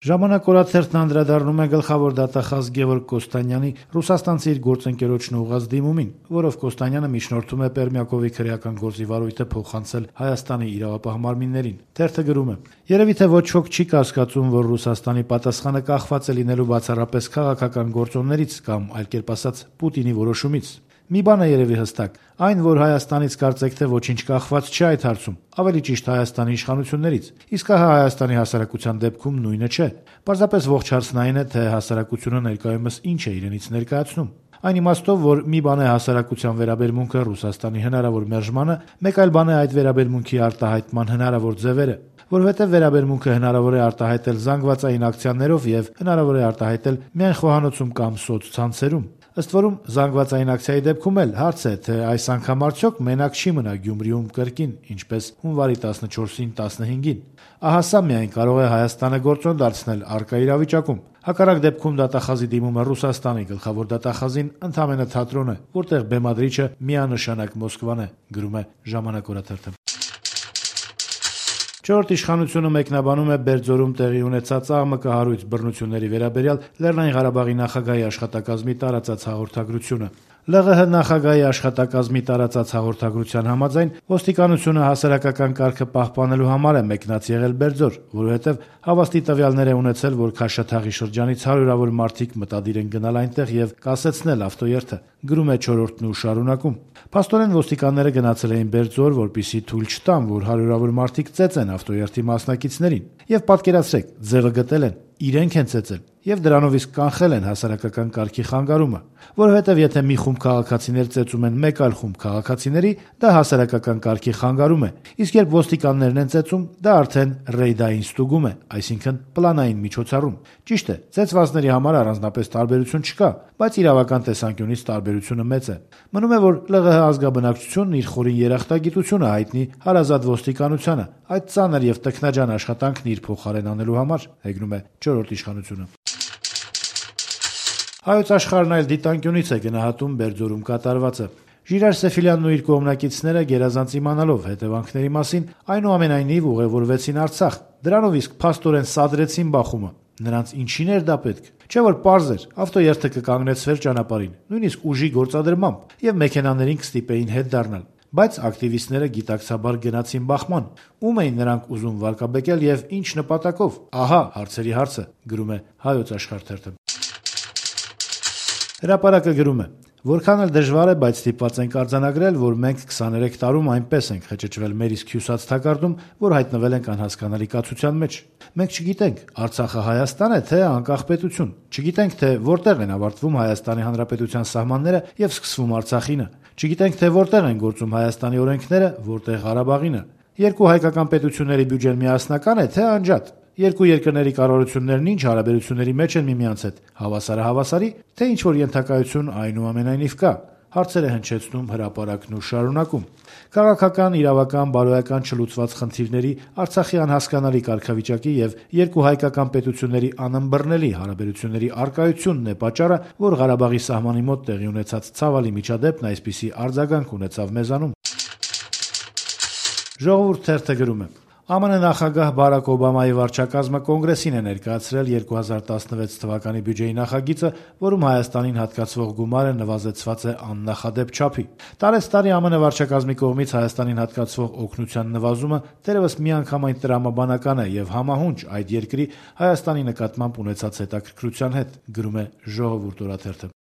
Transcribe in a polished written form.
Ժամանակ օրաթերթն անդրադառնում է գլխավոր դատախազ Գևորգ Կոստանյանի ռուսաստանցի իր գործընկերոջն ուղղած դիմումին, որով Կոստանյանը միջնորդում է Պերմյակովի քրեական գործի վարույթը փոխանցել Հայաստանի իրավապահ մարմիններին։ Թերթը գրում է. «Երևի թե ոչ ոք չի կասկածում, որ Ռուսաստանի պատասխանը կախված է լինելու բացառապես քաղաքական գործոններից կամ, այլ կերպ ասած, Պուտինի որոշումից։ Մի բան է երևի հստակ, այն, որ Հայաստանից կարծեք թե ոչինչ կախված չէ այդ հարցում, ավելի ճիշտ Հայաստանի իշխանություններից, իսկ ահա Հայաստանի հասարակության դեպքում նույնը չէ։ Պարզապես ողջ հարցն այն է, թե հասարակությունը ներկայումս ինչ է իրենից ներկայացնում։ Այն իմաստով, որ մի բան է հասարակության վերաբերմունքը Ռուսաստանի հնարավոր մերժմանը, մեկ այլ բան է այդ վերաբերմունքի արտահայտման հնարավոր ձևերը, որովհետև վերաբերմունքը հնարավոր է արտահայտել զանգվածային ակցիաներով եւ հնարավոր է արտահայտել միայն խոհանոցում կամ սոցցանցերում։ Ըստ որում զանգվածային ակցիայի դեպքում էլ հարց է, թե այս անգամ արդյոք մենակ չի մնա Գյումրիում կրկին, ինչպես հունվարի 14-ին 15-ին։ Ահա սա միայն կարող է Հայաստանը գործոն դարձնել առկա իրավիճակում։ Հակառակ դեպքում դատախազի դիմումը Ռուսաստանի գլխավոր դատախազին ընդամենը թատրոն է, որտեղ բեմադրիչը միանշանակ Մոսկվան է», գրում է «Ժամանակ» օրաթերթը։ Չորրորդ իշխանությունը մեկնաբանում է Բերձորում տեղի ունեցած աղմկահարույց բռնությունների վերաբերյալ Լեռնային Ղարաբաղի նախագահի աշխատակազմի տարածած հաղորդագրությունը։ ԼՂՀ նախագահի աշխատակազմի տարածած հաղորդագրության համաձայն ոստիկանությունը հասարակական կարգը պահպանելու համար է մեկնած եղել Բերձոր, որովհետև հավաստի տվյալներ է ունեցել, որ Քաշաթաղի շրջանից հարյուրավոր մարդիկ մտադիր են գնալ այնտեղ եւ կասեցնել ավտոերթը, գրում է Չորրորդն ու շարունակում։ Փաստորեն ոստիկանները գնացել էին Բերձոր, որպեսզի թույլ չտան, որ հարյուրավոր մարդիկ ծեծեն ավտոերթի մասնակիցներին, եւ պատկերացրեք, ձևը գտել են, իրենք են ծեծել եւ դրանով իսկ կանխել են հասարակական կարգի խանգարումը, որովհետեւ եթե մի խումբ քաղաքացիներ ծեծում են մեկ այլ խումբ քաղաքացիների, դա հասարակական կարգի խանգարում է, իսկ երբ ոստիկաններն են ծեծում, դա արդեն ռեյդային ստուգում է, այսինքն պլանային միջոցառում։ Ճիշտ է, ծեծվածների համար առանձնապես տարբերություն չկա, բայց իրավական տեսանկյունից տարբերությունը մեծ է։ Մնում է, որ ԼՂՀ ազգաբնակչությունն իր խորին երախտագիտությունը հայտնի հարազատ ոստիկանությանը, այդ ծանր եւ տքնաջան աշխատանքն իր փոխարեն անելու համար, հեգնում է Չորրորդ իշխանությունը։ Հայոց աշխարհն այլ դիտանկյունից է գնահատում Բերձորում կատարվածը։ Ժիրայր Սեֆիլյանն ու իր կողմնակիցները գերազանց իմանալով հետևանքների մասին, այնուամենայնիվ ուղևորվեցին Արցախ, դրանով իսկ փաստորեն սադրեցին բախումը։ Նրանց ինչին էր դա պետք։ Չէ՞ որ պարզ էր, ավտոերթը կկանգնեցվեր ճանապարհին, նույնիսկ ուժի գործադրմամբ, եւ մեքենաներին կստիպեին հետ դառնալ։ Բայց ակտիվիստները գիտակցաբար գնացին բախման։ Ում էին նրանք ուզում վարկաբեկել եւ ինչ նպատակով։ Ահա հարցերի հարցը, գրում է Հայոց աշխարհ թերթը։ Հրապարակը գրում է. «Որքան էլ դժվար է, բայց ստիպված ենք արձանագրել, որ մենք 23 տարում այնպես ենք խճճվել մեր իսկ հյուսած թակարդում, որ հայտնվել ենք անհասկանալի կացության մեջ։ Մենք չգիտենք, Արցախը Հայաստան է, թե անկախ պետություն։ Չգիտենք, թե որտեղ են ավարտվում Հայաստանի Հանրապետության սահմանները եւ սկսվում Արցախինը։ Չգիտենք, թե որտեղ են գործում Հայաստանի օրենքները, որտեղ Ղարաբաղինը։ Երկու հայկական պետությունների բյուջեն միասնական է, թե անջատ։ Երկու երկրների կառավարություններն ինչ հարաբերությունների մեջ են միմյանց հետ, հավասարը հավասարի, թե ինչ-որ ենթակայություն այնուամենայնիվ կա», հարցեր է հնչեցնում հրապարակն ու շարունակում։ Քաղաքական, իրավական, բարոյական չլուծված խնդիրների, Արցախի անհասկանալի կարգավիճակի եւ երկու հայկական պետությունների անըմբռնելի հարաբերությունների առկայությունն է պատճառը, որ Ղարաբաղի սահմանի մոտ տեղի ունեցած ցավալի միջադեպն այսպիսի արձագանք ունեցավ մեզանում։ Ժողովուրդ թերթը գրում է. ԱՄՆ նախագահ Բարաք Օբամայի վարչակազմը կոնգրեսին է ներկայացրել 2016 թվականի բյուջեի նախագիծը, որում Հայաստանին հատկացվող գումարը նվազեցված է աննախադեպ չափի։ Տարեցտարի ԱՄՆ վարչակազմի կողմից Հայաստանին հատկացվող օգնության նվազումը դեռևս միանգամայն տրամաբանական է եւ համահունչ այդ երկրի Հայաստանի նկատմամբ ունեցած հետաքրքրության հետ, գրում է Ժողովուրդ օրաթերթը։